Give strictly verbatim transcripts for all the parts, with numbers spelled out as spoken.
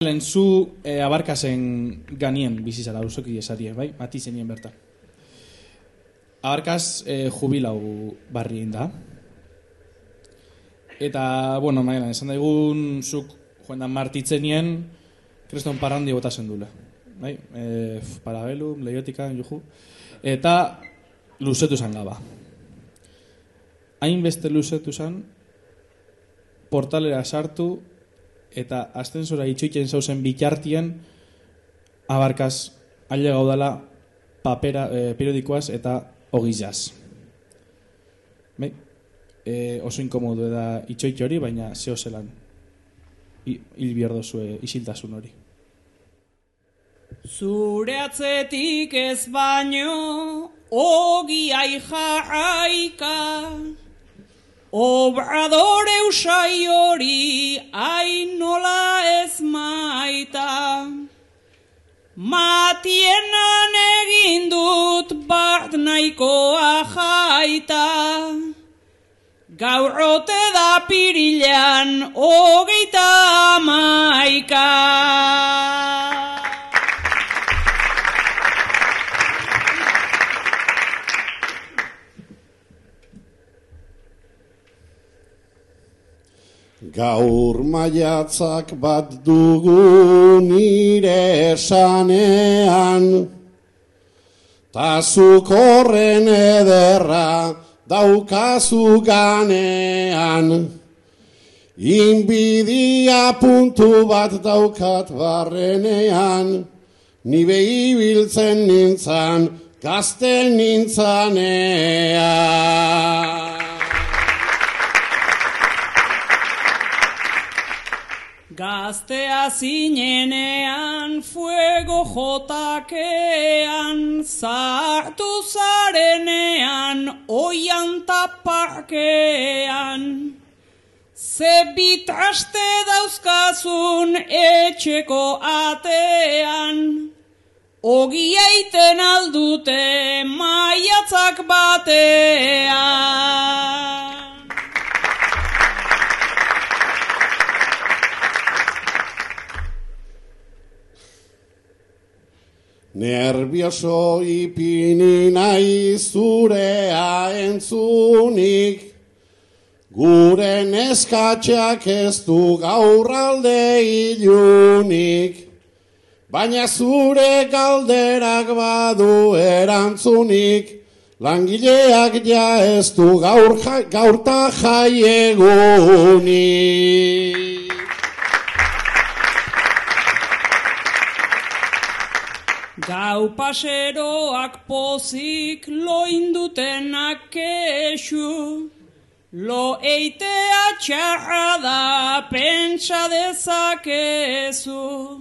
Lehen zu e, abarkazen ganien bizizara, usoki esarie, bai? Mati zenien bertan. Abarkaz e, jubilau barrien da. Eta, bueno, mailan, esan daigun zuk joan martitzenien kreston parrandi botazen dule. Bai? E, Parabellum, Leiotika, juju. Eta luzetu zan gaba. Hainbeste luzetu zan, portalera sartu, eta astensora itxoiten zauzen bitartien abarkaz aile gaudala papera e, periodikoaz eta ogizaz. Bai? E, oso inkomodu da itxoite hori, baina zeo zelan hil bierdo zue isiltasun hori. Zure atzetik ez baino ogiai jarraika, Obradore usai hori ainola ez maita. Matienan egin dut bat nahikoa jaita. Gaur ote da pirilan hogeita hamaika. Gaur maiatzak bat dugu nire esanean, ta zuk horren ederra daukazu ganean. Inbidia puntu bat daukat barrenean, ni behi biltzen nintzan, gazte nintzanean. Gaztea zinenean, fuego jotakean, zartu zarenean, oian taparkean. Ze bitraste dauzkazun etxeko atean, ogia iten aldute maiatzak batean. Nervioso ipini nahi zurea entzunik, gure neskatxeak ez du gaur alde ilunik, baina zure galderak badu erantzunik, langileak ja ez du gaur ja, gaurta jaiegunik. Gau paseroak pozik loindutenak kexu, lo eitea txarra da pentsa dezakezu.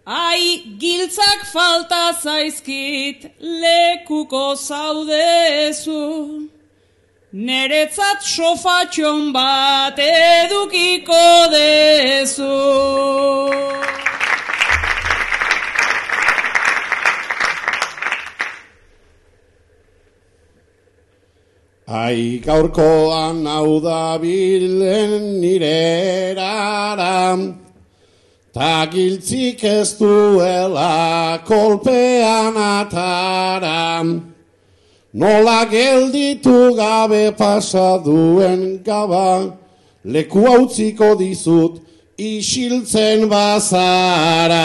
Ai, giltzak falta zaizkit lekuko zaudezu, neretzat sofatxon bat edukiko dezu. Ai, gaurkoan hau da bilen nire erara, ta giltzik ez duela kolpean atara. Nola gelditu gabe pasaduen gaba, leku hautziko dizut isiltzen bazara.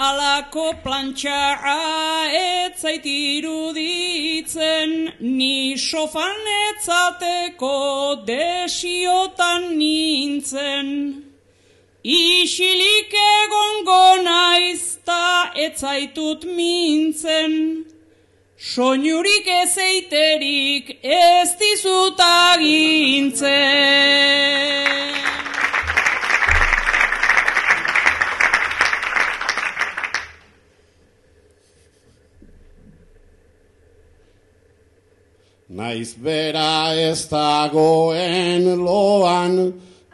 Alako plantxara etzait iruditzen, ni sofan etzateko desiotan nintzen. Isilik egongo naiz ta etzaitut mintzen, soinurik ezeiterik ez dizut agintzen. Naiz bera ez dagoen loan,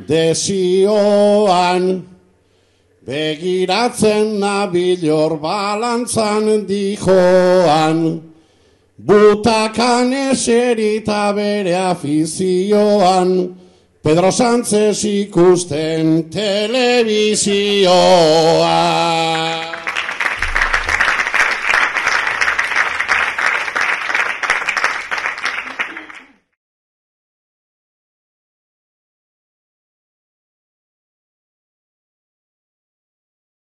desioan, begiratzen nabil hor balantzan dijoan, butakan eserita bere afizioan, Pedro Sánchez ikusten telebizioan.